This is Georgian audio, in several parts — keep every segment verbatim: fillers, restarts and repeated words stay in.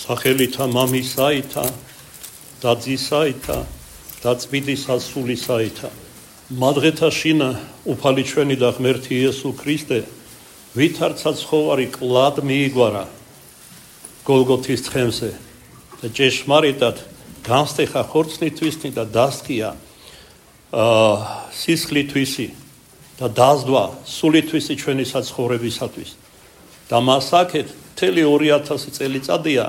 სახელითა მამისაითა და ძისაითა და წმინდისა სულისაითა. მადღეთა შინა უფალი ჩვენი და ღმერთი იესო ქრისტე, ვითარცა ცხოვარი კლად მიიგვარა გოლგოთის თხემზე და ჭეშმარიტად განსტეხა ხორცნითვისი და დასქია სისხლითვისი და დაზდვა სულითვისი ჩვენი საცხოვრებისათვის. და მას აქეთ მთელი ორი ათასი წელიწადია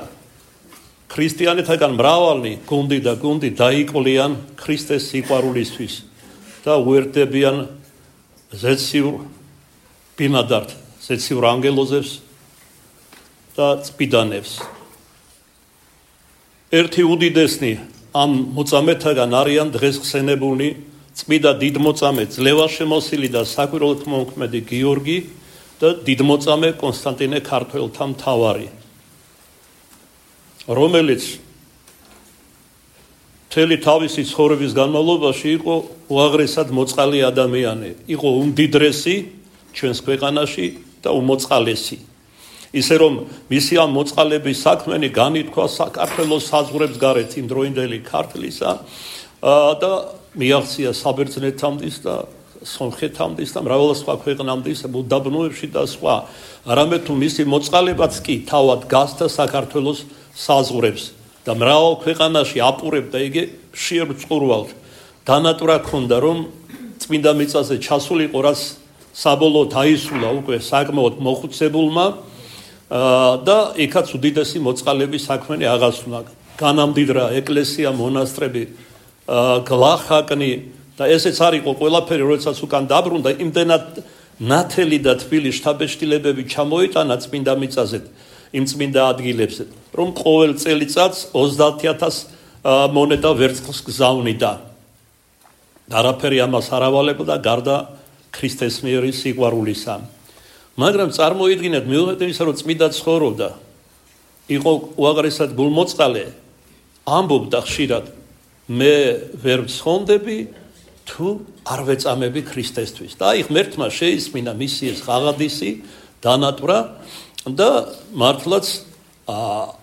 ქრისტიანეთაგან მრავალი გუნდი და გუნდი დაიკვლიან ქრისტეს სიყვარულისთვის და უერთდებიან ზეციურ ბინადართ, ზეციურ ანგელოზებს და წმიდანებს. ერთი უდიდესნი ამ მოწამეთაგან არიან დღეს ხსენებული წმიდა დიდმოწამე ძლევაშემოსილი და საკვირველთმოქმედი გიორგი და დიდმოწამე კონსტანტინე ქართველთა მთავარი, რომელიც მთელი თავისი ცხოვრების განმავლობაში იყო უაღრესად მოწყალე ადამიანი, იყო უმდიდრესი ჩვენს ქვეყანაში და უმოწყალესი. ისე რომ მისი ამ მოწყალების საქმენი განითქვა საქართველოს საზღვრებს გარეთ იმდროინდელი ქართლისა და მიაღწია საბერძნეთამდის და სომხეთამდის და მრავალ სხვა ქვეყნამდის უდაბნოებში და სხვა. არამედ თუ მისი მოწყალებაც კი თავად გასცდა საქართველოს საზღვრებს და მრავალ ქვეყანაში აპურებდა იგი მშიერ წყურვალთ. დანატვრა ქონდა რომ წმინდა მიწაზე ჩასულიყო, რაც საბოლოოდ აისრულა უკვე საკმაოდ მოხუცებულმა და იქაც უდიდესი მოწყალების საქმენი აღასრულა. განამდიდრა ეკლესია, მონასტრები, გლახაკნი და ესეც არ იყო ყველაფერი, როდესაც უკან დაბრუნდა, იმდენად ნათელი და თბილი შთაბეჭდილებები ჩამოიტანა წმინდა მიწაზე, იმ წმინდა ადგილებზე, რომ ყოველ წელიწადს ოცდაათი ათასი მონეტა ვერცხლს გზავნიდა. არაფერი ამას არ ავალებდა გარდა ქრისტეს მიერი სიყვარულისა. მაგრამ წარმოიდგინეთ, მიუხედავად იმისა, რომ წმინდა ცხოვრობდა, იყო უაღრესად გულმოწყალე, ამბობდა ხშირად, მე ვერ ვცხოვდები თუ არ ვეწამები ქრისტესთვის. და აი ღმერთმა შეისმინა მისი ეს ღაღადისი დანატვრა და მართლაც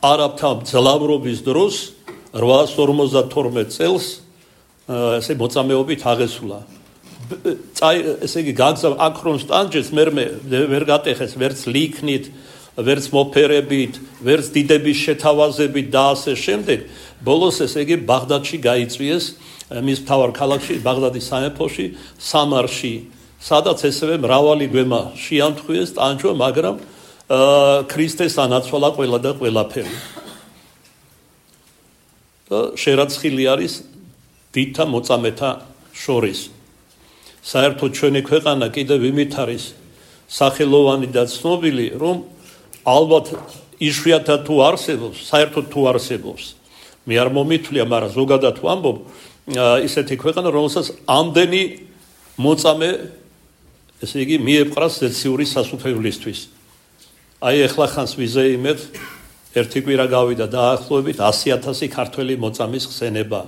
არაბთა მძლავრობის დროს რვაას ორმოცდათორმეტ წელს ესე მოწამეობით აღესულა. ესე იგი გაგზავნა აქრონ სტანჯეს მერმე ვერ გატეხეს ვერც ლიქნით, ვერც მოფერებით, ვერც დიდების შეთავაზებით და ასე შემდეგ. ბოლოს ესე იგი ბაღდადში გაიწვიეს, მის მთავარ ქალაქში, ბაღდადის სამეფოში, სამარში, სადაც ესევე მრავალი გვემა შეამთხვიეს ტანჯვა, მაგრამ ქრისტეს ანაცვალა ყველა და ყველაფერი. და შერაცხილი არის დიდთა მოწამეთა შორის. საერთოდ ჩვენი ქვეყანა კიდევ იმით არის სახელოვანი და ცნობილი, რომ ალბათ იშვიათად თუ არსებობს, საერთოდ თუ არსებობს. მე არ მომითვლია, მაგრამ ზოგადად ვამბობ, ისეთი ქვეყანა, რომელსაც ამდენი მოწამე, ესე იგი, მიეპყრას ზეციური სასუფევლისთვის. აი ეხლა ხანს ვიზეიმეთ, ერთი კვირა გავიდა დაახლოებით ასი ათასი ქართველი მოწამის ხსენება.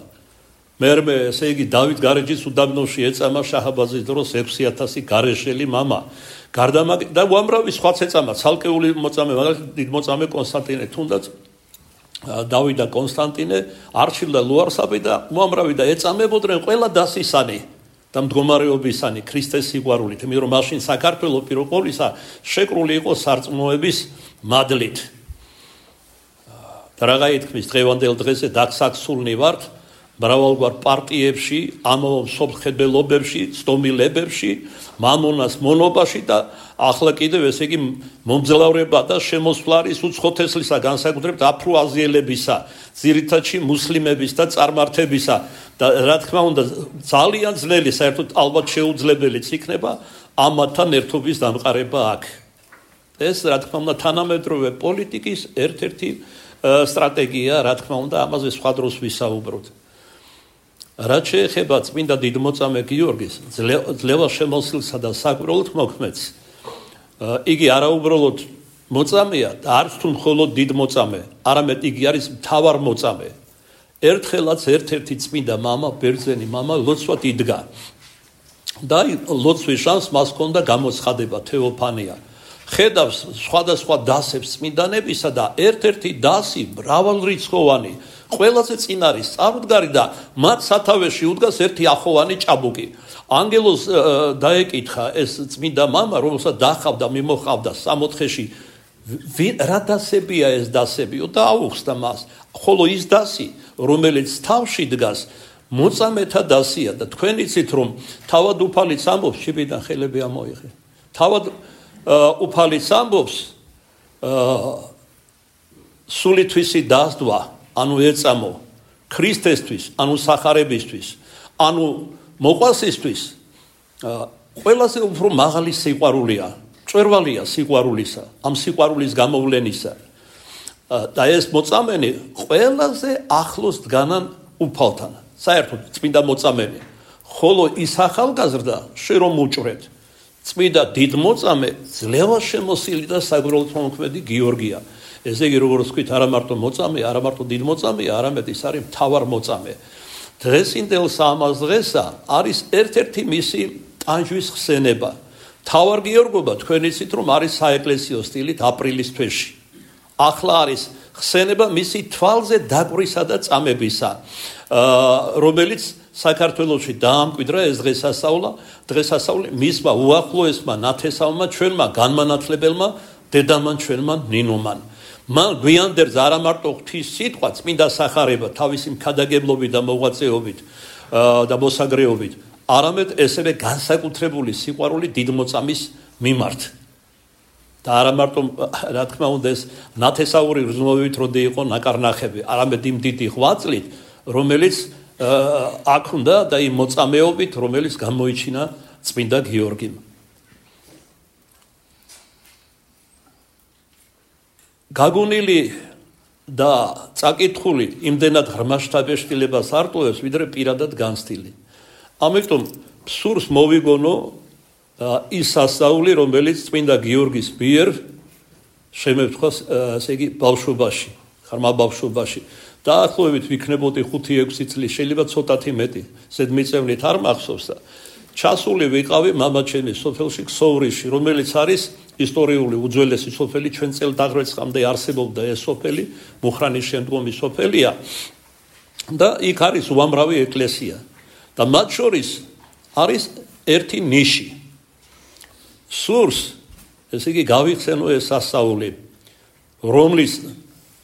მერმე, ესე იგი, დავით გარეჯის უდაბნოში ეწამა შაჰაბაზის დროს ექვსი ათასი გარეშელი მამა. გარდა მაგ და უამრავი სხვაც ეწამა, ცალკეული მოწამე, მაგალითად დიდ მოწამე კონსტანტინე, თუნდაც დავით და კონსტანტინე, არჩილ და ლუარსაბი და უამრავი და ეწამებოდნენ ყველა დასისანი და მდგომარეობისანი ქრისტეს სიყვარულით, იმიტომ რომ მაშინ საქართველო პირველ ყოვლისა შეკრული იყო სარწმუნოების მადლით. და რაღა ითქმის, დღევანდელ დღეზე დაგსაქსულნი ვართ მრავალგვარ პარტიებში, ამავე მსოფლმხედველობებში, ცდომილებებში, მამონას მონობაში და ახლა კიდევ ესე იგი მომძლავრება და შემოსვლა არის უცხოთესლისა, განსაკუთრებით აფრო-აზიელებისა, ძირითადში მუსლიმების და წარმართებისა და რა თქმა უნდა ძალიან ძნელი, საერთოდ ალბათ შეუძლებელიც იქნება ამათთან ერთობის დამყარება აქ. ეს რა თქმა უნდა თანამედროვე პოლიტიკის ერთ-ერთი სტრატეგია, რა თქმა უნდა ამაზე სხვა დროს ვისაუბროთ. რაც შეეხება წმინდა დიდმოწამე გიორგის ძლევაშემოსილსა და საკვირველთმოქმედს, იგი არაუბრალოდ მოწამეა და არც თუ მხოლოდ დიდმოწამე, არამედ იგი არის მთავარ მოწამე. ერთხელაც ერთ-ერთი წმინდა მამა, ბერძენი მამა ლოცვად იდგა და ლოცვის შანსს მას ჰქონდა გამოცხადება თეოფანია. ხედავს სხვადასხვა დასებს წმინდანებისა და ერთ-ერთი დასი მრავალრიცხოვანი ყველაზე წინ არის წარუდგარი და მათ სათავეში უდგას ერთი ახოვანი ჭაბუკი. ანგელოს დაეკითხა ეს წმინდა მამა, რომელსაც დახავდა, მიმოხავდა სამოთხეში, რა დასებია ეს დასებიო და აუხსნა მას. ხოლო ის დასი, რომელიც თავში დგას, მოწამეთა დასია და თქვენ იცით რომ თავად უფალიც ამბობს, შიბიდან ხელები ამოიღე. თავად უფალიც ამბობს, სულითვისი დასდვა, ანუ ეწამო ქრისტესთვის, ანუ სახარებისთვის, ანუ მოყვასისთვის, ყველაზე უფრო მაღალი სიყვარულია, წვერვალია სიყვარულისა, ამ სიყვარულის გამოვლენისა. და ეს მოწამენი ყველაზე ახლოს დგანან უფალთან, საერთოდ წმინდა მოწამენი. ხოლო ის ახალგაზრდა შენ რომ უჭრეთ, წმინდა დიდ მოწამე ძლევა შემოსილი და საგვირელთმოქმედი გიორგია. ესე იგი როგორც ვთქვით, არა მარტო მოწამე, არა მარტო დიდ მოწამეა, არამედ ის არის მთავარ მოწამე. დღესინდელ სამას დღესა არის ერთ-ერთი მისი ტანჯვის ხსენება. მთავარ გიორგობა თქვენ იცით რომ არის საეკლესიო სტილით აპრილის თვეში. ახლა არის ხსენება მისი თვალზე დაკვრისა და წამებისა, რომელიც საქართველოში დაამკვიდრა ეს დღესასწაულა, დღესასწაული მისმა უახლოესმა ნათესავმა ჩვენმა განმანათლებელმა დედამან ჩვენმა ნინომან. მან გვიანდერს არა მარტო ღვთის სიტყვა წმინდა სახარება თავისი მქადაგებლობით და მოღვაწეობით და მოსაგრეობით, არამედ ესევე განსაკუთრებული სიყვარული დიდ მოწამის მიმართ. და არა მარტო რა თქმა უნდა ეს ნათესაური რძნობებით როდი იყო ნაკარნახები, არამედ იმ დიდი ღვაწლით, რომელიც აქ უნდა და იმ მოწამეობით, რომელიც გამოიჩინა წმინდა გიორგიმ. გაგონილი და წაკითხული იმდენად ღრმა შთაბეჭდილებას არტყობს, ვიდრე პირადად განცდილი. ამიტომ სურს მოვიგონო ის სასწაული, რომელიც წმინდა გიორგის მიერ შემევთქვა, ესე იგი, ბავშვობაში, ღრმა ბავშვობაში. დაახლოებით ვიქნებოდი ხუთი ექვსი წლის, შეიძლება ცოტათი მეტი, ზედმიწევნით არ მახსოვს და ჩასული ვიყავი მამა ჩემი სოფელში ქსოვრიში, რომელიც არის ისტორიული უძველესი სოფელი, ჩვენ წელთაღრიცხვამდე არსებობდა ეს სოფელი, მუხრანის შემდგომი სოფელია და იქ არის უამრავი ეკლესია და მათ შორის არის ერთი ნიში. სურს, ესე იგი, გავიხსენო ეს სასწაული, რომლის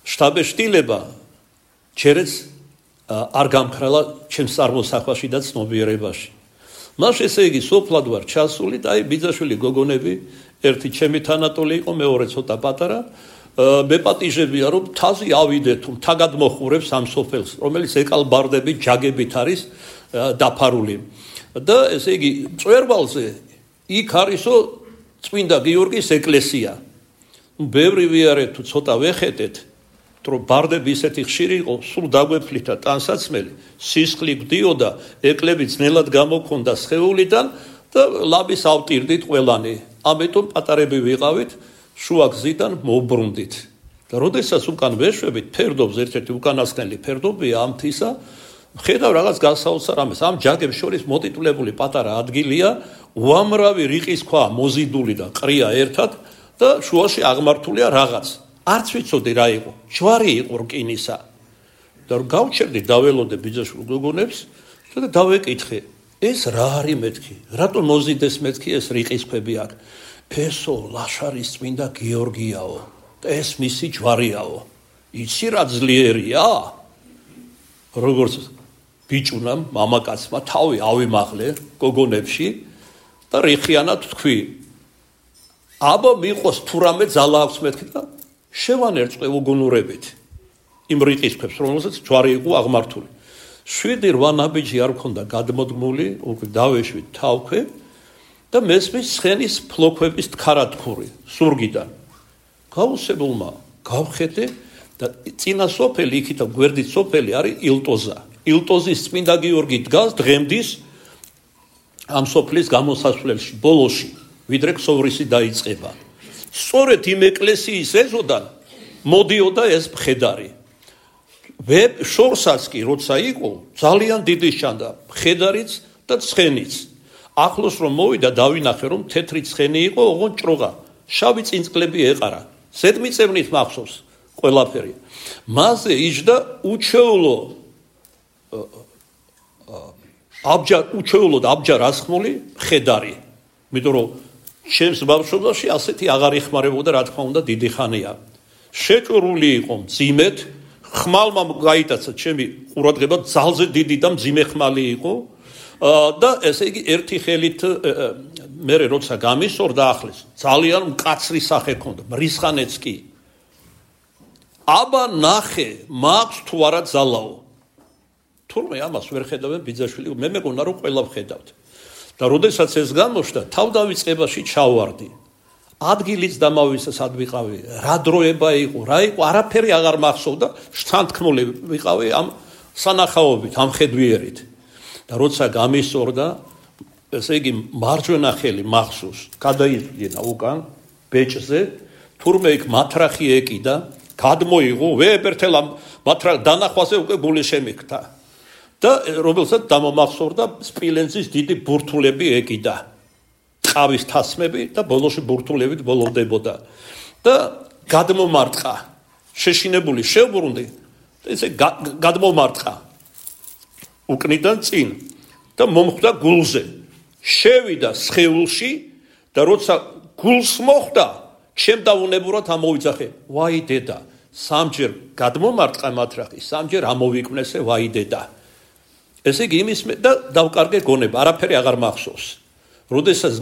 შთაბეჭდილება ჯერაც არ გამქრალა ჩემს წარმოსახვაში და ცნობიერებაში. მას ესე იგი სოფლად ვარ ჩასული და აი ბიძაშვილი გოგონები, ერთი ჩემი თანატოლი იყო, მეორე ცოტა პატარა, მეპატიჟებია რომ თაზი ავიდე თუ თაგად მოხურებს ამ სოფელს, რომელიც ეკალბარდებით, ჯაგებით არის დაფარული. და ესე იგი წვერვალზე იქ არისო წმინდა გიორგის ეკლესია. ბევრი ვიარეთ თუ ცოტა ვეხეთეთ, რომ ბარდები ისეთი ხშირი იყო, სულ დაგვეფლით და ტანსაცმელი, სისხლი გვდიოდა, ეკლები ძნელად გამოქონდა სხეულიდან და ლაბის ავტირდით ყველანი. ამიტომ პატარები ვიყავით, შუა გზიდან მოვბრუნდით. და როდესაც უკან ვეშვებით, ფერდობს ერთ-ერთი უკანასკნელი ფერდობია ამ თისა, ხედავ რაღაც გასაოცარ ამას. ამ ჯაგებს შორის მოტიტულებული პატარა ადგილია, უამრავი რიყის ქვა მოზიდული და ყრია ერთად და შუაში აღმართულია რაღაც. არც ვიცოდი რა იყო, ჯვარი იყო რკინისა. და რომ გავჩერდი, დაველოდე ბიძაშვილ გოგონებს და დავეკითხე, ეს რა არის მეთქი? რატომ მოზიდეს მეთქი ეს რიყის ქვები აქ? ესო ლაშარის წმინდა გიორგიაო და ეს მისი ჯვარიაო. იცი რა ძლიერია? როგორც ბიჭუნამ, მამაკაცმა თავი ავიმაღლე გოგონებში და რიხიანად თქვი, აბა მიყოს თუ რამე ძალა აქვს მეთქი და შევანერწყე უგუნურებით იმ რიყის ქვებს, რომელსაც ჯვარი იყო აღმართული. შვიდი რვა ნაბიჯი არ მქონდა გადმოდგმული, უკვე დავეშვით თავქვე და მესმის ცხენის ფლოქვების თხარათქური სურგიდან. გაუსებულმა გავხედე და წინა სოფელი, იქითა გვერდით სოფელი არის ილტოზა. ილტოზის წმინდა გიორგი დგას დღემდის ამ სოფლის გამოსასვლელში, ბოლოში, ვიდრე ქსოვრისი დაიწყება. სწორედ იმ ეკლესიის ეზოდან მოდიოდა ეს მხედარი. ვებ შორსაც კი როცა იყო, ძალიან დიდი ჩანდა მხედარიც და ცხენიც. ახლოს რომ მოვიდა, დავინახე რომ თეთრი ცხენი იყო, ოღონდ ჭროღა შავი წინწკლები ეყარა. ზედმიწევნით მახსოვს ყველაფერი. მასზე იჯდა უჩვეულო აბჯარ უჩვეულოდ აბჯარ ასხმული ხედარი. იმიტომ რომ ჩემს ბავშვობაში ასეთი აღარ იხმარებოდა, რა თქმა უნდა, დიდი ხანია. შეჭრული იყო მძიმედ, ხმალმა გაიტაცა ჩემი ყურადღება, ძალზე დიდი და მძიმე ხმალი იყო და ესე იგი ერთი ხელით მე როცა გამისორდა ახლეს, ძალიან მკაცრი სახე ჰქონდა, მრისხანეც კი. აბა ნახე, მაქვს თუ არა ძალაო. თურმე ამას ვერ ხედავენ ბიძაშვილი, მე მეგონა რომ ყველა ვხედავთ. და როდესაც ეს გამოჩნდა, თავდავიწყებაში ჩავარდი. ადგილიც დამავისა სად ვიყავი, რა დროება იყო, რა იყო, არაფერი აღარ მახსოვდა, შთანთქმული ვიყავი ამ სანახაობით, ამ ხედვიერით. და როცა გამისორდა, ესე იგი მარჯვენა ხელი მახსოვს, გადაიდგინა უკან ბეჭზე, თურმე იქ მათრახი ეკიდა, გადმოიღო, ვეებერთელა მათრახ დანახვაზე უკვე გული შემიქთა. და რომელსაც დამომახსოვრდა სპილენძის დიდი ბურთულები ეკიდა. ყავის თასმები და ბოლოში ბურთულებით ბოლოვდებოდა. და გადმომარტყა. შეშინებული შევბრუნდი და ესე გადმომარტყა. უკნიდან წინ და მომხვდა გულზე. შევიდა სხეულში და როცა გულს მოხვდა, ჩემ დაუნებურად ამოვიძახე. ვაი დედა, სამჯერ გადმომარტყა მათრახი, სამჯერ ამოვიკვნესე, ვაი დედა. ესე იგი იმის და დავკარგე გონება, არაფერი აღარ მახსოვს. როდესაც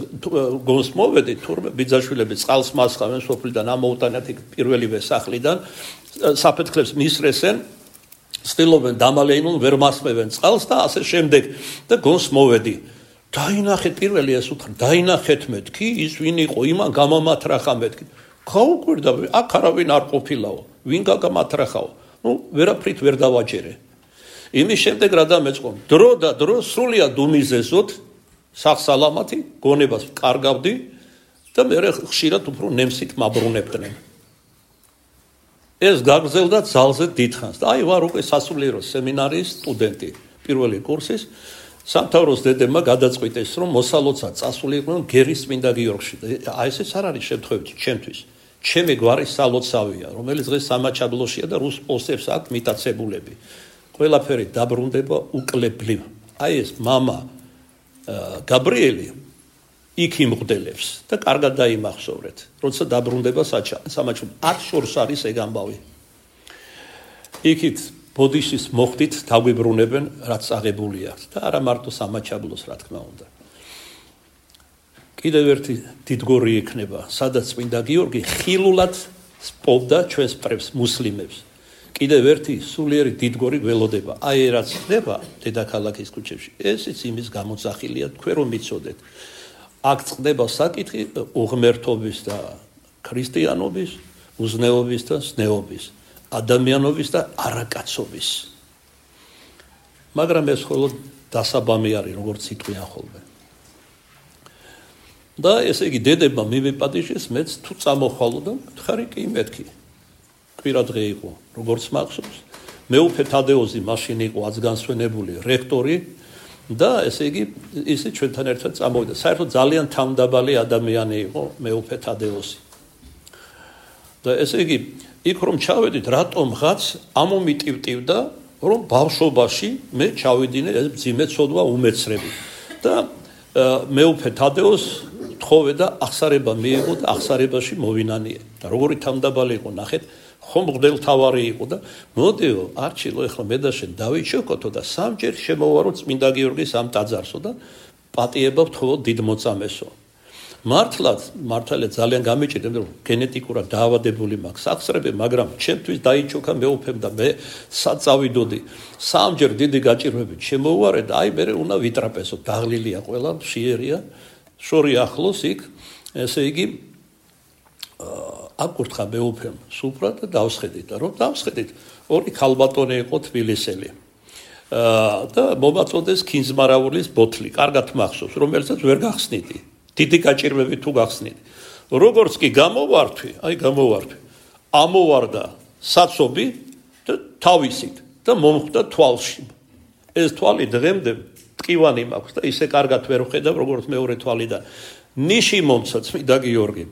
გონს მოვედი, თურმე ბიძაშვილები წყალს მასხავენ სოფლიდან, ამოუტანათ იქ პირველივე სახლიდან, საფეთქლებს მისრესენ, ცდილობენ დამალეინონ, ვერ მასმევენ წყალს და ასე შემდეგ და გონს მოვედი. დაინახეთ პირველი ეს უთხრა, დაინახეთ მეთქი, ის ვინ იყო, იმან გამომათრახა მეთქი. გაუკვირდა, აქ არავინ არ ყოფილაო, ვინ გაგამათრახაო. ნუ ვერაფრით ვერ დავაჯერე. იმის შემდეგ რა დამეწყო, დრო და დრო სრულიად უმიზესოდ სახსალამათი გონებას კარგავდი და მე ხშირად უფრო ნემსით მაბრუნებდნენ. ეს გაგრძელდა ძალზე დიდხანს და აი ვარ უკვე სასულიერო სემინარიის სტუდენტი, პირველი კურსის. სამთავროს დედებმა გადაწყვიტეს, რომ მოსალოცა წასულიყვნენ გერის წმინდა გიორგში. აი ესეც არ არის შემთხვევით ჩემთვის. ჩემი გვარი სალოცავია, რომელიც დღეს სამაჩაბლოშია და რუს პოსტებს აქვს მიტაცებულები. ყველაფერი დაბრუნდება უკლებლივ. აი ეს მამა გაბრიელი იქ იმღდელებს და კარგად დაიმახსოვრეთ. როცა დაბრუნდება სამაჩაბლო, არ შორს არის ეგ ამბავი. იქით ბოდიშის მოხდით დაგვიბრუნებენ, რაც აღებული აქვს და არა მარტო სამაჩაბლოს, რა თქმა უნდა. კიდევ ერთი დიდგორი იქნება, სადაც წმინდა გიორგი ხილულად სპობდა ჩვენს პრებს მუსლიმებს. კიდევ ერთი სულიერი დიდგორი გველოდება. აი რაც ხდება დედაქალაქის ქუჩებში, ესეც იმის გამოძახილია, თქვენ რომ მიცოდეთ. აქ წყდება საკითხი უღმერთობის და ქრისტიანობის, უზნეობის და ზნეობის, ადამიანობის და არაკაცობის. მაგრამ ეს მხოლოდ დასაბამი არის, როგორც იტყვიან ხოლმე. და ესე იგი დედებმა მივიპატიჟეს, მეც თუ წამოხვალო და მითხარი კი მეთქი. კვირა დღე იყო, როგორც მახსოვს, მეუფე თადეოზი მაშინ იყო აცგანსვენებული რექტორი და ესე იგი ისე ჩვენთან ერთად წამოვიდა. საერთოდ ძალიან თავმდაბალი ადამიანი იყო მეუფე თადეოზი. და ესე იგი იქ რომ ჩავედით, რატომღაც ამომიტივტივდა, რომ ბავშვობაში მე ჩავიდინე ეს მძიმე ცოდვა უმეცრები. და მეუფე თადეოზს თხოვე და აღსარება მიიღო და აღსარებაში მოვინანიე. და როგორი თავმდაბალი იყო, ნახეთ, ხომ მღვდელმთავარი იყო და მოდიო, არჩილო, ეხლა მე და შენ დავიჩოქოთო და სამჯერ შემოვარო წმინდა გიორგის ამ ტაძარსო და პატიება ვთხოვო დიდ მოწამესო. მართლაც, მართალია ძალიან გამიჭირდა, რომ გენეტიკურად დაავადებული მაქვს სახსრები, მაგრამ ჩემთვის დაიჩოქა მეუფემ და მე საწავიდოდი. სამჯერ დიდი გაჭირვებით შემოვარე და აი მე უნდა ვიტრაპესო, დაღლილია ყველა, მშიერია, შორი ახლოს იქ, ესე იგი აკურთხა მეუფემ სუფრა და დავსხედით და რომ დავსხედით, ორი ქალბატონი იყო თბილისელი. და მომაწოდეს ქინძმარაულის ბოთლი, კარგად მახსოვს, რომელსაც ვერ გახსნიდი. დიდი გაჭირვები თუ გახსნით. როგორც კი გამოვართვი, აი გამოვართვი. ამოვარდა საცობი და თავისით და მომხვდა თვალში. ეს თვალი დღემდე ტყივანი მაქვს და ისე კარგად ვერ ვხედავ, როგორც მეორე თვალიდან. ნიში მომცა წმინდა გიორგი.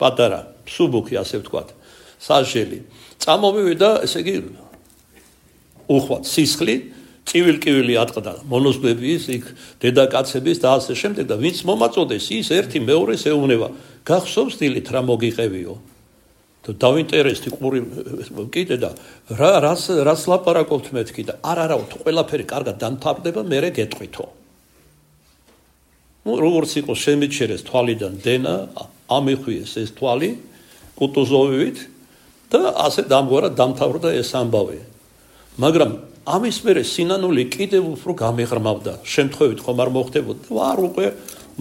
პატარა სუბუქი ასე ვთქვათ სასჯელი წამოვივიდა ესე იგი უხვად სისხლი წივილ-კივილი ატყდა მონოზბების იქ დედაკაცების და ასე შემდეგ და ვინც მომაწოდეს ის ერთი მეორეს ეუბნება გახსოვს დილით რა მოგიყევიო და დავინტერესდი ყური კიდე და რა რას რას ლაპარაკობთ მეთქი და არ არა თუ ყველაფერი კარგად დამთავრდება მერე გეტყვითო ну როგორც იყო შემიჩერეს თვალიდან დენა ამიხვიეს ეს თვალი კუტუზოვივით და ასე დამგვარად დამთავრდა ეს ამბავი მაგრამ ამის მერე სინანული კიდევ უფრო გამეღრმავდა შემთხვევით ხომ არ მოხდებოდა ვარ უკვე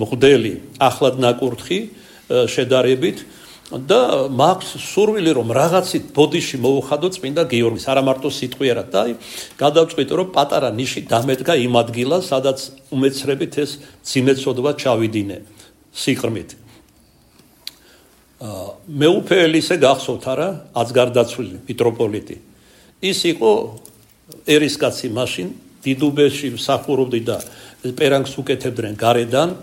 მღვდელი ახლად ნაკურთხი შედარებით და მაქვს სურვილი რომ რაღაცით ბოდიში მოუხადო წმინდა გიორგის არა მარტო სიტყვიერად და გადავწყვიტე რომ პატარა ნიში დამედგა იმ ადგილას სადაც უმეცრებით ეს ძიმეცოდვა ჩავიდინე სიყრმით მეუფე ელისე გახსოვთ არა აცგარდაცვლილი მიტროპოლიტი ის იყო ერისკაცი მაშინ დიდუბეში მსახურობდი და პერანგს უკეთებდნენ გარედან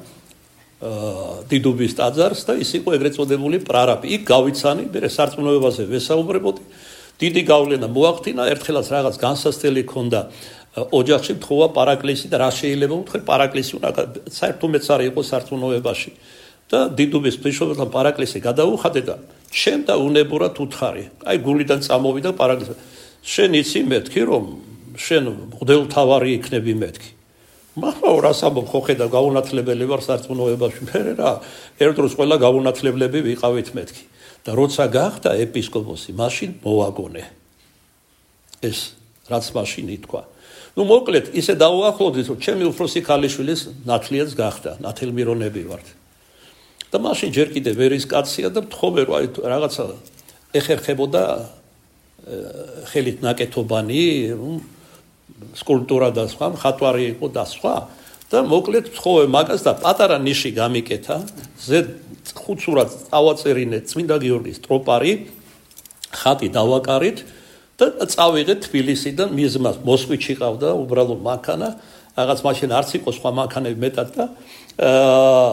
დიდუბის ტაძარს და ის იყო ეგრეთ წოდებული პრარაბი. იქ გავიცანი, მე სარწმუნოებაზე ვესაუბრებოდი. დიდი გავლენა მოახდინა, ერთხელაც რაღაც განსასწრელი ქონდა ოჯახში თხოვა პარაკლისი და რა შეიძლება უთხრე პარაკლისი უნდა საერთოდ მეც არ იყო სარწმუნოებაში. და დიდუბის ბიშოპთან პარაკლისი გადაუხადე და შენ და უნებურად უთხარი. აი გულიდან წამოვიდა პარაკლისი. შენ იცი მეთქი რომ შენ მღვდელთავარი იქნები მეთქი. მაგრამ რას ამბობ ხო ხედავ გაუნათლებელი ვარ სარწმუნოებაში მე რა ერთ დროს ყველა გაუნათლებლები ვიყავით მეთქი და როცა გახდა ეპისკოპოსი მაშინ მოვაგონე ეს რაც მაშინ ითქვა ну მოკლედ ისე დაუახლოვდით რომ ჩემი უფროსი ქალიშვილის ნათლიაც გახდა ნათელმირონები ვართ და მაშინ ჯერ კიდე ვერის კაცია და მთხოვე რომ აი რაღაცა ეხერხებოდა ხელით ნაკეთობანი სკულპტურა და სხვა მხატვარი იყო და სხვა და მოკლედ თხოვე მაგას და პატარა ნიში გამიკეთა ზედ ხუთსურად წავაწერინე წმინდა გიორგის ტროპარი ხატი დავაკარით და წავიღეთ თბილისიდან მიზმას მოსკვიჩი ყავდა უბრალოდ მანქანა რაღაც მაშინ არც იყო სხვა მანქანები მეტად და აა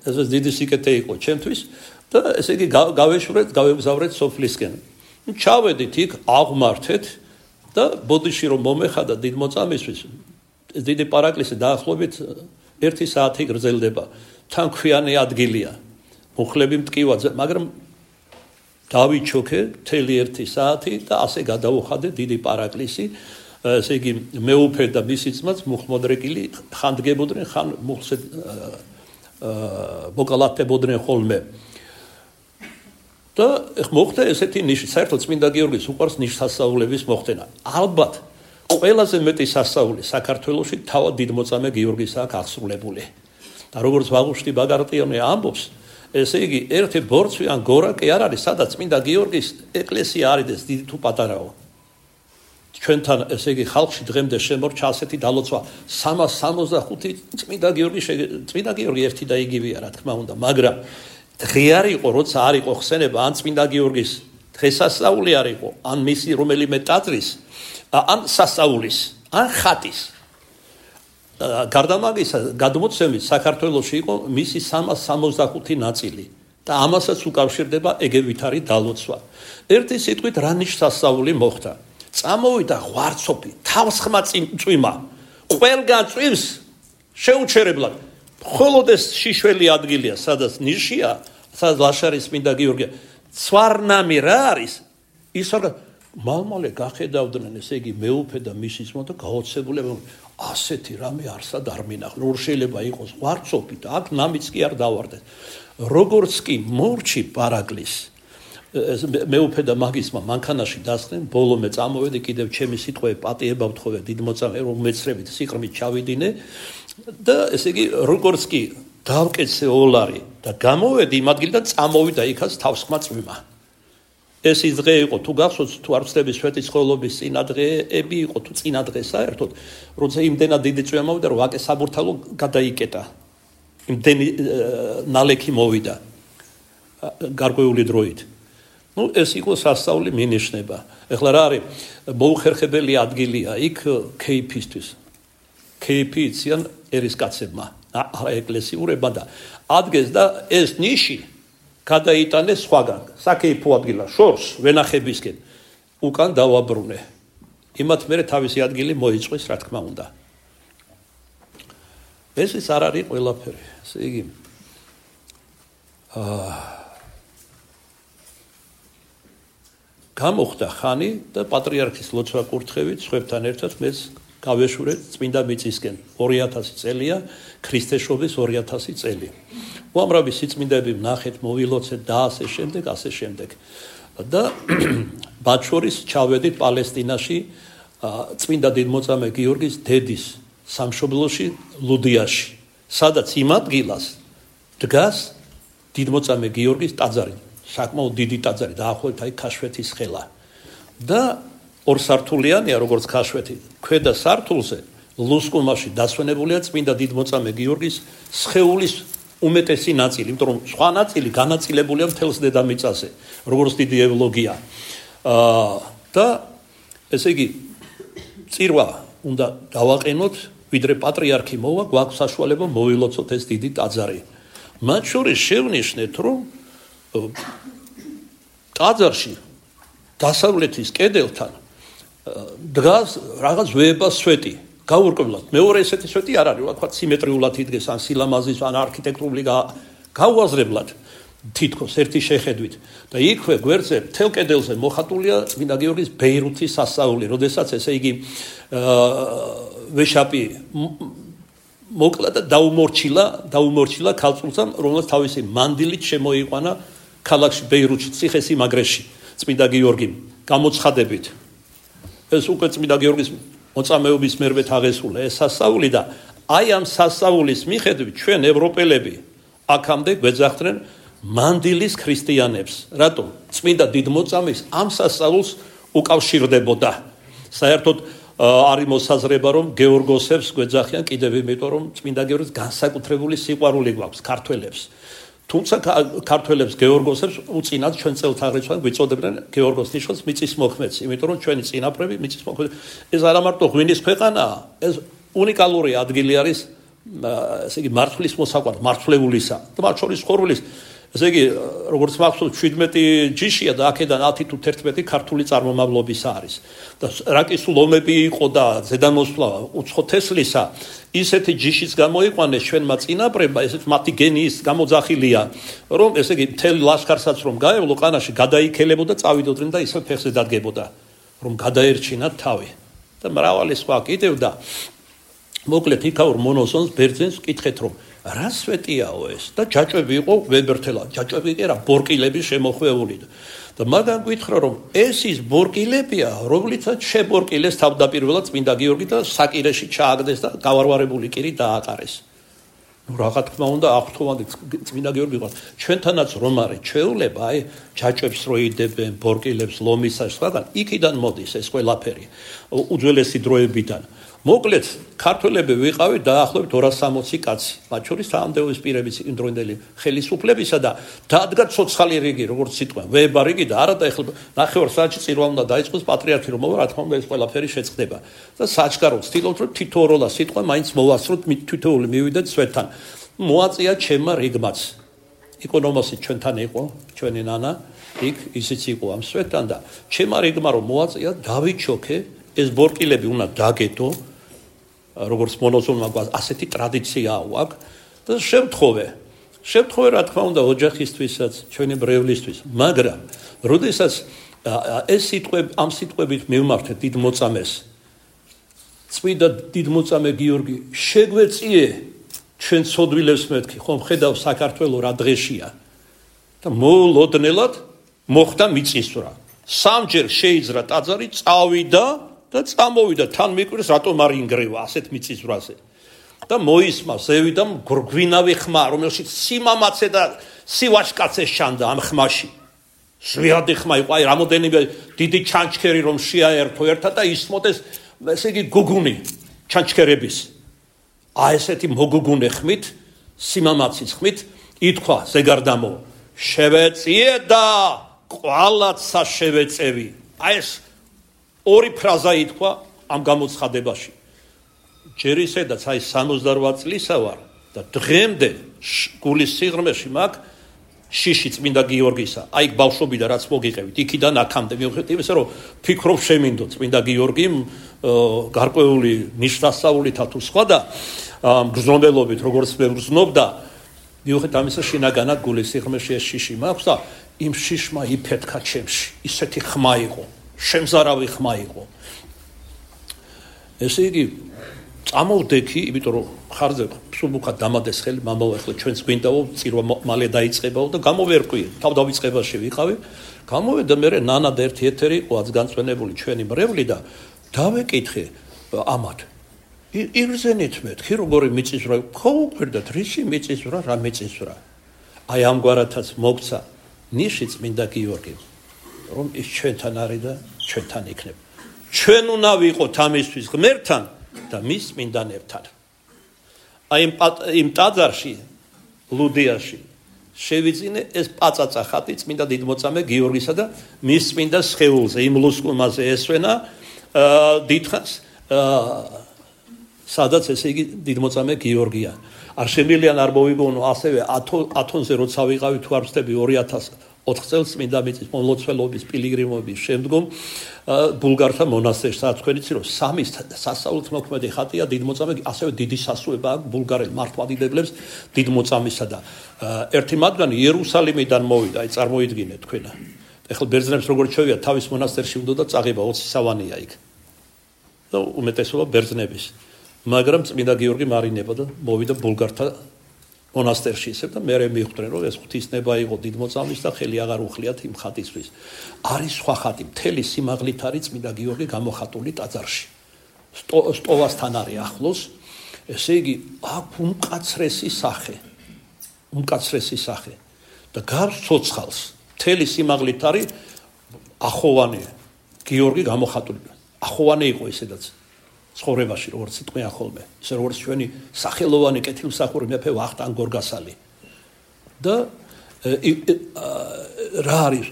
ეს დიდი სიკეთე იყო ჩემთვის და ესე იგი გავეშვრეთ გავეგზავრეთ სოფლისკენ ჩავედით იქ აღმართეთ და ბოდიში რომ მომეხადა დიდ მოწამისთვის დიდი პარაკლისი დაახლოებით ერთი საათი გრძელდება თან ქვიანი ადგილია მუხლები მტკივა მაგრამ დავიჩოქე მთელი ერთი საათი და ასე გადავუხადე დიდი პარაკლისი ესე იგი მეუფე და მისი ძმაც მუხმოდრეკილი ხან დგებოდნენ ხან მუხლზე მოკალათებოდნენ ხოლმე და მოხდა ესეთი ნიში საერთოდ წმინდა გიორგის უყვარს ნიშსასწაულების მოხდენა ალბათ ყველაზე მეტი სასწაული საქართველოში თავად დიდმოწამე გიორგის აქვს აღსრულებული და როგორც ვაღუშტი ბაგრატიონი ამბობს ესე იგი ერთი ბორცვი ან გორა კი არ არის სადაც წმინდა გიორგის ეკლესია არის დიდი თუ პატარაო ჩვენთან ესე იგი ხალხში დღემდე შემორჩა ასეთი დალოცვა სამას სამოცდახუთი წმინდა გიორგი წმინდა გიორგი ერთი და იგივეა რა თქმა უნდა მაგრამ დღე არ იყო როცა არ იყო ხსენება ან წმინდა გიორგის დღესასწაული არ იყო ან მისი რომელიმე ტაძრის ან სასწაულის ან ხატის გარდა მაგისა გადმოცემით საქართველოში იყო მისი სამას სამოცდახუთი ნაწილი და ამასაც უკავშირდება ეგევითარი დალოცვა ერთი სიტყვით რა ნიშსასწაული მოხდა წამოვიდა ღვარცოფი თავს ხმა წვიმა ყველგან წვიმს შეუჩერებლად მხოლოდ ეს შიშველი ადგილია სადაც ნიშია სადაც ლაშარის წმინდა გიორგი ცვარნამი რა არის ის არ მალმალე გახედავდნენ ესე იგი მეუფე და მისი ძმა და გაოცებულები ასეთი რამე არსად არ მინახ რომ შეიძლება იყოს ღვარცოფი და აქ ნამიც კი არ დავარდეს როგორც კი მორჩი პარაკლის მეუფე და მაგისმა მანქანაში დასხდნენ ბოლომე წამოვედი კიდევ ჩემი სიტყვები პატიება ვთხოვე დიდმოწამე რომ მეცრებით სიყრმით ჩავიდინე და ესე იგი როგორც კი დავკეცე ოლარი და გამოვედი იმ ადგილიდან წამოვიდა იქაც თავსხმა წვიმა ეს ის დღე იყო თუ გახსოვთ თუ არ ვცდების სვეტიცხოველობის წინა დღეები იყო თუ წინა დღე საერთოდ როცა იმდენად დიდი წვიმა მოვიდა რომ ვაკე საბურთალო გადაიკეტა იმდენი ნალექი მოვიდა გარკვეული დროით ну ეს იყო სასწაული მინიშნება ეხლა რა არის მოუხერხებელი ადგილია იქ ქეიფისთვის ქეიფი იციან ერისკაცებმა ეკლესიურებმა და ადგეს და ეს ნიში გადაიტანეს სხვაგან საკეიფო ადგილა შორს ვენახებისკენ უკან დავაბრუნე იმათ მერე თავისი ადგილი მოიწვის რა თქმა უნდა ეს ის არ არის ყველაფერი ესე იგი აა გამოხდა ხანი და პატრიარქის ლოცვა კურთხევით სხვებთან ერთად მეც გავეშურე წმინდა მიწისკენ ორი ათასი წელია ქრისტეშობის ორი ათასი წელი უამრავი სიწმინდეები ვნახეთ მოვილოცეთ და ასე შემდეგ ასე შემდეგ და მათ შორის ჩავედით პალესტინაში წმინდა დიდმოწამე გიორგის დედის სამშობლოში ლუდიაში სადაც იმ ადგილას დგას დიდმოწამე გიორგის ტაძარი საკმაოდ დიდი ტაძარი დაახლოებით აი ქაშვეთის ხელა და ორ სართულიანია როგორც ქაშვეთი ქვედა სართულზე ლუსკუმაში დასვენებულია წმინდა დიდმოწამე გიორგის სხეულის უმეტესი ნაწილი იმიტომ რომ სხვა ნაწილი განაწილებულია მთელს დედამიწაზე როგორც დიდი ევლოგია და ესე იგი წირვა უნდა დავაყენოთ ვიდრე პატრიარქი მოვა გვაქვს საშუალება მოვილოცოთ ეს დიდი ტაძარი მათ შორის შევნიშნეთ რომ ტაძარში დასავლეთის კედელთან დგას რაღაც ვეებას სვეტი გაურკვევლად მეორე ესეთი სვეტი არ არის ვთქვათ სიმეტრიულად იდგეს ან სილამაზის ან არქიტექტურული გაუაზრებლად თითქოს ერთი შეხედვით და იქვე გვერდზე მთელ კედელზე მოხატულია წმინდა გიორგის ბეირუთის სასწაული როდესაც ესე იგი ვეშაპი მოკლა და დაუმორჩილა დაუმორჩილა ქალწულსამ რომელსაც თავისი მანდილით შემოიყვანა ქალაქში ბეირუთში ციხესიმაგრეში წმინდა გიორგიმ გამოცხადებით ეს უკვე წმინდა გიორგის მოწამეობის მერვე თაღესულა ეს სასწაული და აი ამ სასწაულის მიხედვით ჩვენ ევროპელები აქამდე გვეძახდნენ მანდილის ქრისტიანებს რატომ წმინდა დიდმოწამის ამ სასწაულს უკავშირდებოდა საერთოდ არის მოსაზრება რომ გეორგოსებს გვეძახიან კიდევ იმიტომ რომ წმინდა გიორგის განსაკუთრებული სიყვარული გვაქვს ქართველებს თუმცა ქართველებს გეორგოსებს უწინათ ჩვენ წელთაღრიცხვად გვიწოდებდნენ გეორგოს ნიშნავს მიწის მოქმედს იმიტომ რომ ჩვენი წინაპრები მიწის მოქმედი ეს არა მარტო ღვინის ქვეყანაა ეს უნიკალური ადგილი არის ესე იგი მართლის მოსაყვანად მართლეულისა და მათ შორის ხორვლის ესე იგი როგორც მახსოვს შვიდმეტი ჯიშია და აქედან ათი თუ თერთმეტი ქართული წარმომავლობის არის და რაკი სულ ომები იყო და ზედამოსვლა უცხო თესლისა ისეთი ჯიშიც გამოიყვანეს ჩვენმა წინაპრებმა ესეც მათი გენიის გამოძახილია რომ ესე იგი მთელი ლაშქარსაც რომ გაევლო ყანაში გადაიქელებოდა წავიდოდნენ და ისე ფეხზე დადგებოდა რომ გადაერჩინათ თავი და მრავალი სხვა კიდევ და მოკლედ იქაურ მონოსონს ბერძენს კითხეთ რომ რა სვეტიაო ეს და ჯაჭვები იყო ვებერთელა ჯაჭვები კი რა ბორკილები შემოხვეული და მაგან გითხრა რომ ეს ის ბორკილებია რომლითაც შებორკილეს თავდაპირველად წმინდა გიორგი და საკირეში ჩააგდეს და გავარვარებული კირი დააყარეს ნუ რა თქმა უნდა აღთხოვანდი წმინდა გიორგი ყავს ჩვენთანაც რომ არის ჩვეულება აი ჯაჭვებს რო იდებენ ბორკილებს ლომისას სხვაგან იქიდან მოდის ეს ყველაფერი უძველესი დროებიდან მოკლედ ქართველები ვიყავით დაახლოებით ორას სამოცი კაცი მათ შორის სამდეობის პირების იმდროინდელი ხელისუფლებისა და დადგა ცოცხალი რიგი როგორც სიტყვა ვება რიგი და არა და ეხლა ნახევარ საათში წირვა უნდა დაიწყოს პატრიარქი რომ მოვა რა თქმა უნდა ეს ყველაფერი შეწყდება და საჩქარო ვცდილობთ რომ თითოეულა სიტყვა მაინც მოვასწროთ თითოეული მივიდეთ სვეტთან მოაწია ჩემმა რიგმაც იკონომოსი ჩვენთან იყო ჩვენი ნანა იქ ისიც იყო ამ სვეტთან და ჩემმა რიგმა რომ მოაწია დავიჩოქე ეს ბორკილები უნდა დაგეთო როგორც მონოზონმა გვაქვს ასეთი ტრადიცია აქვს და შევთხოვე შევთხოვე რა თქმა უნდა ოჯახისთვისაც ჩვენი ბრევლისთვის მაგრამ როდესაც ეს სიტყვები ამ სიტყვებით მივმართეთ დიდმოწამეს წმინდა დიდმოწამე გიორგი შეგვეწიე ჩვენ ცოდვილებს მეთქი ხომ ხედავ საქართველოს რა დღეშია და მოულოდნელად მოხდა მიწისძვრა სამჯერ შეიძრა ტაძარი წავიდა და წამოვიდა თან მიკვირს რატომ არ ინგრევა ასეთ მიწისძვრაზე და მოისმა ზევიდან გვინავი ხმა რომელშიც სიმამაცე და სივაშკაცე შანდა ამ ხმაში შვიადი ხმა იყო აი რამოდენიმე დიდი ჩანჩქერი რომ შეაერთო ერთად და ისმოდეს ესე იგი გუგუნი ჩანჩქერების აი ესეთი მოგუგუნე ხმით სიმამაცის ხმით ითქვა ზეგარდამო შევეწიე და ყვალაცა შევეწევი აი ეს ორი ფრაზა ითქვა ამ გამოცხადებაში ჯერ ისედაც აი სამოცდარვაც წლისა ვარ და დღემდე გულის სიღრმეში მაგ შიში წმინდა გიორგისა, აი ბავშვობიდან რაც მოგიყევით, იქიდან აქამდე მიუხედავად იმისა, რომ ფიქრობ შემინდო წმინდა გიორგიმ გარკვეული ნიშნასწაულითა თუ სხვა და მგრძნობელობით როგორც მე ვგრძნობდა, მიუხედავად ამისა შინაგანად გულის სიღრმეში ეს შიში მაქვს და იმ შიშმა იფეთქა ჩემში, ისეთი ხმა იყო, შემზარავი ხმა იყო. ესე იგი წამოვდექი, იმიტომ რომ ხარზე სულმუხად დამადეს ხელი, მამაო, ახლა ჩვენც გვინდაო, წირვა მალე დაიწყებაო და გამოვერკვი, თავდავიწყებაში ვიყავი. გამოვედა მე ნანა და ერთი ეთერი იყო აც განწვენებული ჩვენი მრევლი და დავეკითხე ამათ. იგრძენით მეთქი, როგორი მიწისძვრა, ხო უკვირდათ, რისი მიწისძვრა, რა მიწისძვრა. აი ამგვარათაც მოგცა ნიში წმინდა გიორგი, რომ ის ჩვენთან არის და ჩვენთან იქნება. ჩვენ უნდა ვიყოთ ამისთვის ღმერთთან და მის წმინდანებთან. აი იმ ტაძარში, ლუდიაში შევიძინე ეს პაწაწა ხატი წმინდა დიდმოწამე გიორგისა და მის წმინდა სხეულზე, იმ ლუსკუმაზე ესვენა დიდხანს, სადაც ესე იგი დიდმოწამე გიორგია. არ შემიძლია არ მოვიგონო ასევე ათონზე როცა ვიყავი თუ არ ვწდები ორი ათას ოთხ წელს წმინდა მიწის მომლოცველობის პილიგრიმობის შემდგომ ბულგართა მონასტერში საათქვენიცი რომ სამის სასწაულთმოქმედი ხატია დიდმოწამე ასევე დიდი სასუება აქვს ბულგარელ მართლმადიდებლებს დიდმოწამისა და ერთი მათგანი იერუსალიმიდან მოვიდა აი წარმოიდგინეთ თქვენ ეხლა ბერძნებს როგორც შევიდა თავის მონასტერში უნდა და წაღება ოცი სავანია იქ და უმეტესობა ბერძნების მაგრამ წმინდა გიორგი მარინებოდა და მოვიდა ბულგართა მონასტერში ისევ და მე მივხვდნენ რომ ეს ღვთისნება იყო დიდმოწამის და ხელი აღარ უხლიათ იმ ხატისთვის. არის სხვა ხატი, მთელი სიმაღლით არის წმინდა გიორგი გამოხატული ტაძარში. სტოვასთან არის ახლოს, ესე იგი აქ უმკაცრესი სახე. უმკაცრესი სახე და გარს ცოცხალს. მთელი სიმაღლით არის ახოვანი გიორგი გამოხატული. ახოვანი იყო ესედაც. ცხოვრებაში როგორც თქვენ ახოლმე ისე როგორც ჩვენი სახელოვანი კეთილმსახური მეფე ვახტანგ გორგასალი და რა არის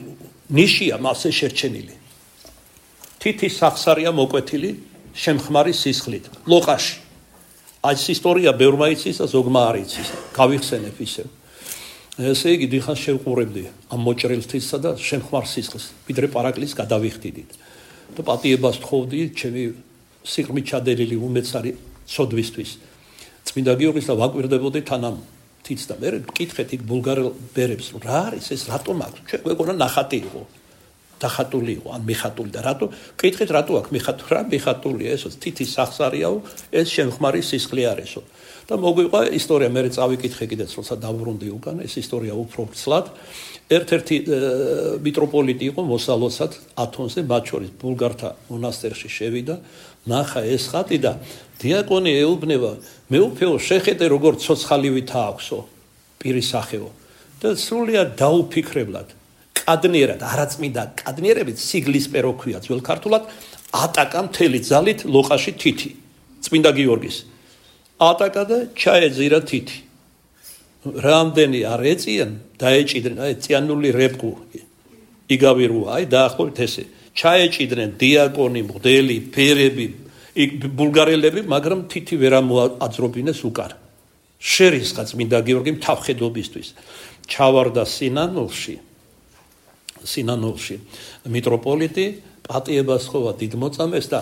ნიშია მასე შერჩენილი თითის სახსარია მოკვეთილი შემხმარი სისხლით ლოყაში აი ეს ისტორია ბევრმა იცის და ზოგმა არ იცის გავიხსენებ ისევ ესე იგი დიხას შევყურებდი ამ მოჭრილთისა და შემხმარ სისხლს ვიდრე პარაკლის გადავიხდიდით და პატიებას თხოვდი ჩემი სიღრმით ჩადერილი უმეცარი ცოდვისთვის წმინდა გიორგის და ვაკვირდებოდი თანამ თიც და მე მკითხეთ იქ ბულგარელ ბერებს რა არის ეს რატომ აქვს ჩვენ გვეგონა ნახატი იყო დახატული იყო ან მიხატული და რატო მკითხეთ რატო აქვს მიხატული რა მიხატულია ესო თითის სახსარიაო ეს შემხმარი სისხლი არისო და მოგვიყვა ისტორია მე წავიკითხე კიდეც როცა დავბრუნდი უკან ეს ისტორია უფრო ცლად ერთ-ერთი მიტროპოლიტი იყო მოსალოცად ათონზე მათ შორის ბულგართა მონასტერში შევიდა ნახა ეს ხატი და დიაკონი ეუბნება მეუფეო შეხედე როგორ ცოცხალივითა აქვსო პირის სახეო და სრულიად დაუფიქრებლად კადნიერად არაწმინდა კადნიერებით სიგლისპერო ქვია ძველ ქართულად ატაკა მთელი ძალით ლოყაში თითი წმინდა გიორგის ატაკა და ჩაეძირა თითი რამდენი არ ეწიან დაეჭიდნენ აი წიანული რეპკუ იგავირუა აი დაახლოებით ესე ჩაეჭიდნენ დიაკონი მღვდელი ფერები ბულგარელები მაგრამ თითი ვერ ამოაძრობინეს უკან შერისხა წმინდა გიორგი თავხედობისთვის ჩავარდა სინანულში სინანულში მიტროპოლიტი პატიებას ხოვა დიდმოწამეს და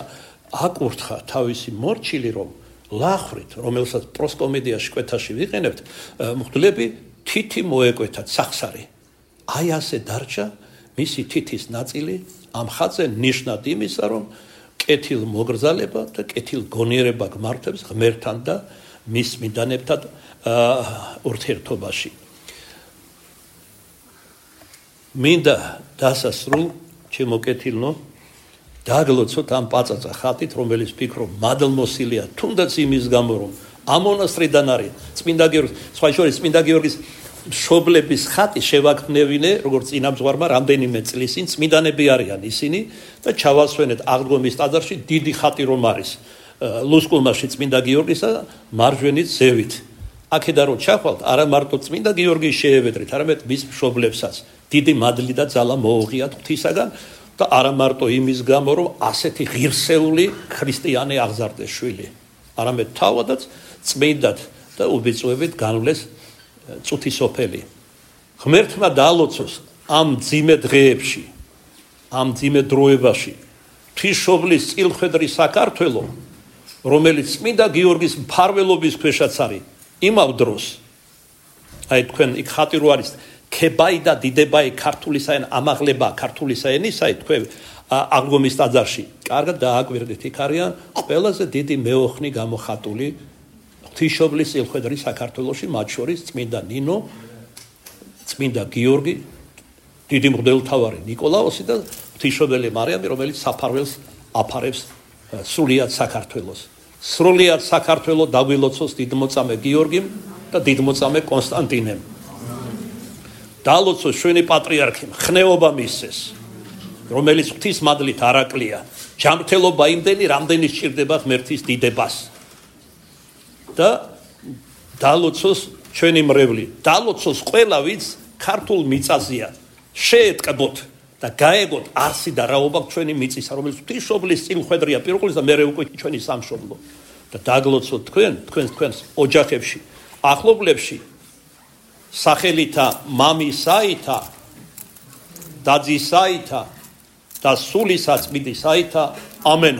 აკურთხა თავისი მორჩილი რომ ლახრით, რომელსაც პროსკომედიაში კვეთაში ვიყენებთ, მღვდლები თითი მოეკვეთათ სახსარი. აი ასე დარჩა მისი თითის ნაწილი ამ ხატზე ნიშნად იმისა, რომ კეთილ მოგრძალება და კეთილ გონიერება გმართებს ღმერთთან და მის წმინდანებთან ურთიერთობაში. მინდა დასასრულ ჩემო კეთილნო დაგლოცოთ ამ პაწაწა ხატით, რომელიც ფიქრობ მადლმოსილია, თუნდაც იმის გამო, რომ ამ მონასტრიდან არის წმინდა გიორგის, სხვა შორის წმინდა გიორგის მშობლების ხატი შევაქმნევინე, როგორც წინამძღვარმა რამდენიმე წლის წინ წმინდანები არიან ისინი და ჩავასვენეთ აღდგომის ტაძარში დიდი ხატი რომ არის ლუსკუმაში წმინდა გიორგისა მარჯვენით ზევით. აქედან რომ ჩახვალთ, არა მარტო წმინდა გიორგის შეევედრით, არამედ მის მშობლებსაც დიდი მადლი და ძალა მოუღიათ ღვთისაგან. და არა მარტო იმის გამო, რომ ასეთი ღირსეული ქრისტიანი აღზარდეს შვილი, არამედ თავადაც წმინდად და უბიწვევით განვლეს წუთი სოფელი. ღმერთმა დაალოცოს ამ ძიმე დღეებში, ამ ძიმე დროებაში ღვთისმშობლის წილხვედრი საქართველო, რომელიც წმინდა გიორგის მფარველობის ქვეშაც არის, იმავ დროს, აი თქვენ იქ ხატი რო არის, ქებაი და დიდებაი ქართული საენ ამაღლება ქართული საენისაი თქვენ აღდგომის ტაძარში, კარგად დააკვირდით, იქ არიან ყველაზე დიდი მეოხნი გამოხატული ღვთისმშობლის წილხვედრი საქართველოში, მათ შორის წმინდა ნინო, წმინდა გიორგი, დიდი მღვდელმთავარი ნიკოლაოსი და ღვთისმშობელი მარიამი, რომელიც საფარველს აფარებს სრულიად საქართველოს. სრულიად საქართველო დაგვილოცოს დიდმოწამე გიორგიმ და დიდმოწამე კონსტანტინემ. დაალოცოს ჩვენი პატრიარქი, ხნეობა მისცეს, რომელიც ღვთისმადლით არაკლია, ჯანმრთელობა იმდენი, რამდენი სჭირდება ღმერთის დიდებას. და დაალოცოს ჩვენი მრევლი, დაალოცოს ყველა ვინც ქართულ მიწაზეა, შეეტყბოთ და გაეგოთ არსი და რაობა ჩვენი მიწისა, რომელიც ღვთისმშობლის წილხვედრია პირველი და მერე უკვე ჩვენი სამშობლო. და დაგლოცოთ თქვენ, თქვენ თქვენს ოჯახებში, ახლობლებში, სახელითა, მამისაითა, დაძისაითა და სულისა წმინდისაითა. ამენ.